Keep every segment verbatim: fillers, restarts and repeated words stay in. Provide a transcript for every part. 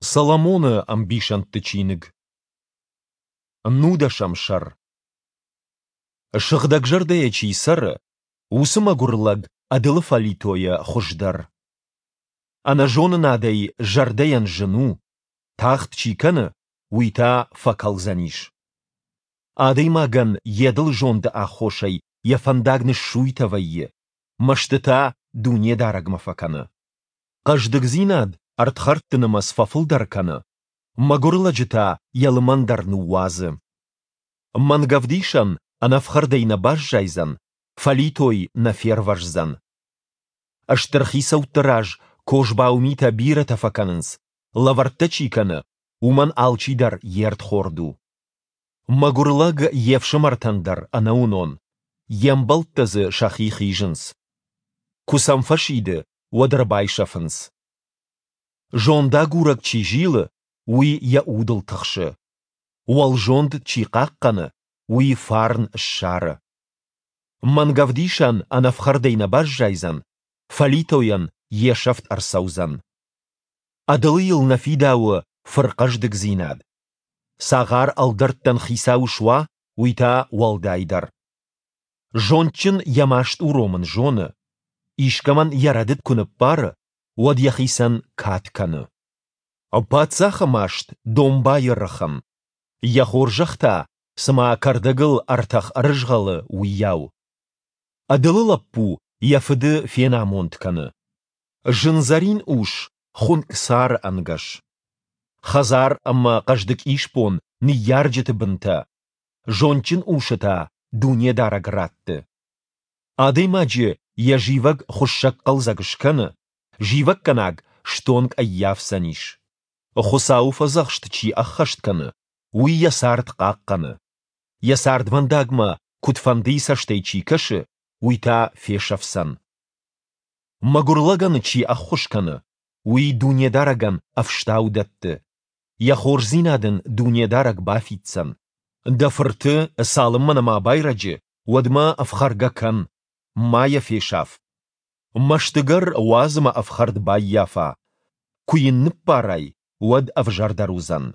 Соломоны ӕмбисӕндты чиныг. Нудӕсӕм сӕр. Сыгъдӕгзӕрдӕйӕ чи цӕры, уыцы мӕгуыр лӕг ӕдылы фӕлитойӕ хуыздӕр. Ӕнӕзонынадӕй зӕрдӕйӕн зын у, тагъд чи кӕны, уый та фӕкӕлдзӕнис. Адӕймагӕн йе дылы зонды аххосӕй йӕ фӕндаг ныссуйтӕ вӕййы, мӕсты та Дунедарӕгмӕ фӕкӕны. Хъӕздыгдзинад ӕрдхӕрдты нымӕц фӕфылдӕр кӕны, мӕгуыр лӕджы та йӕ лымӕн дӕр ныууадзы. Мӕнгӕвдисӕн ӕнӕфхӕрдӕй нӕ баззайдзӕн, фӕлитой нӕ фервӕздзӕн. Стыр хицӕутты раз козбау митӕ бирӕтӕ фӕкӕнынц, лӕвӕрттӕ чи кӕны, уымӕн алчидӕр йе рдхорд у. Мӕгуыр лӕг йе фсымӕртӕн дӕр ӕнӕуынон, йе мбӕлттӕ дзы сӕхи хизынц. Куы сӕм фӕсиды, уӕд ӕрбайсӕфынц. Зондагурӕг чи зилы, уый йӕ удыл тыхсы. Уӕлзонд чи хъахъхъӕны, уый фарн ссары. Мӕнгӕвдисӕн ӕнӕфхӕрдӕй нӕ баззайдзӕн, фӕлитойӕн йе сӕфт ӕрцӕудзӕн. Ӕдылыйыл нӕ фидауы фырхъӕздыгдзинад. Цагъар ӕлдӕрттӕн хицау суа, уый та уӕлдайдӕр. Зондджын йӕ маст уромын зоны. Искӕмӕн йӕ рӕдыд куы ныббары, уӕд йӕхицӕн кад кӕны. Паддзахы маст домбайы рыхын. Йӕ хорзӕх та, цыма кӕрдӕгыл ӕртӕх ӕрызгъӕлы, уыйау. Ӕдылы лӕппу йӕ фыды фенамонд кӕны. Зындзӕрин ус хуынкъ цары ӕнгӕс. Хӕдзар ӕмӕ хъӕздыг исбон ныййарджыты бынтӕ, зондджын усы та Дунедарӕг ратты. Адӕймаджы йӕ зивӕг хуыссӕгхъӕлдзӕг скӕны, зивӕггӕнаг стонг ӕййафдзӕнис. Хуыцауы фӕдзӕхст чи ӕххӕст кӕны, уый йӕ цард хъахъхъӕны. Йӕ цардвӕндагмӕ куыдфӕндыйы цӕстӕй чи кӕсы, уый та фесӕфдзӕн. Мӕгуыр лӕгӕн чи ӕххуыс кӕны, уый Дунедарӕгӕн ӕфстау дӕтты. Йӕ хорздзинад ын Дунедарӕг бафиддзӕн. Дӕ фырты, цалынмӕ нӕма байрӕджы, уӕдмӕ ӕфхӕргӕ кӕн, ма йӕ фесаф. Мӕстыгӕр уадз ӕмӕ ӕфхӕрд баййафа. Куы йын ныббарай, уӕд ӕвзӕрдӕр уыдзӕн.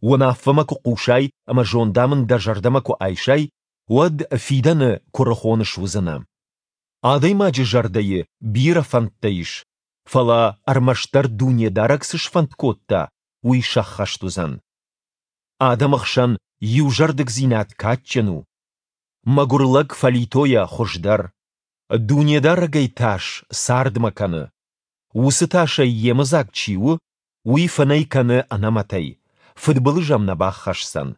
Уынаффӕмӕ куы хъусай ӕмӕ зондамынд дӕ зӕрдӕмӕ куы айсай, уӕд фидӕны куырыхон суыдзынӕ. Адӕймаджы зӕрдӕйы бирӕ фӕндтӕ ис, фӕлӕ ӕрмӕстдӕр Дунедарӕг цы сфӕнд кодта, уый сӕххӕст уыдзӕн. Адӕмы хсӕн иузӕрдыгдзинад кадджын у. Мӕгуыр лӕг фӕлитойӕ хуыздӕр. Дунедарӕгӕй тас цардмӕ кӕны. Уыцы тасӕй йемыдзаг чи у, уый фынӕй кӕны ӕнӕмӕтӕй, фыдбылыз ӕм нӕ баххӕсдзӕн.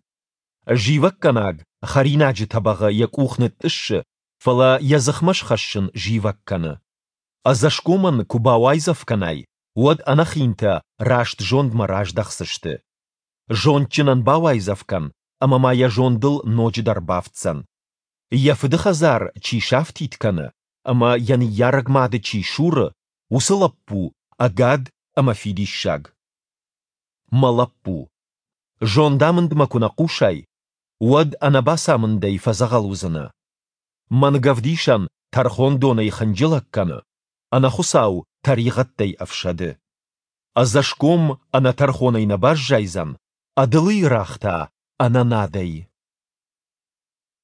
Зивӕггӕнаг хӕринаджы тӕбӕгъы йӕ къух нытътъыссы, фӕлӕ йӕ дзыхмӕ схӕссын зивӕг кӕны. Ӕдзӕсгомӕн куы бауайдзӕф кӕнай, уӕд ӕнӕхинтӕ раст зондмӕ раздӕхдзысты. Зондджынӕн бауайдзӕф кӕн, ӕмӕ ма йӕ зондыл ноджыдӕр бафтдзӕн. Йӕ фыды хӕдзар чи сафтид кӕны ӕмӕ йӕ ныййарӕг мады чи суры, уыцы лӕппу ӕгад ӕмӕ фидиссаг. Мӕ лӕппу, зондамындмӕ куы нӕ хъусай, уӕд ӕнӕбацамындӕй фӕдзӕгъӕл уыдзынӕ. Мӕнгӕвдисӕн тӕрхондонӕй хынджылӕг кӕны, ӕнӕхуыцау тӕригъӕдтӕй ӕфсӕды. Ӕдзӕсгом ӕнӕтӕрхонӕй нӕ баззайдзӕн, ӕдылыйы рагъ та ӕнӕнадӕй.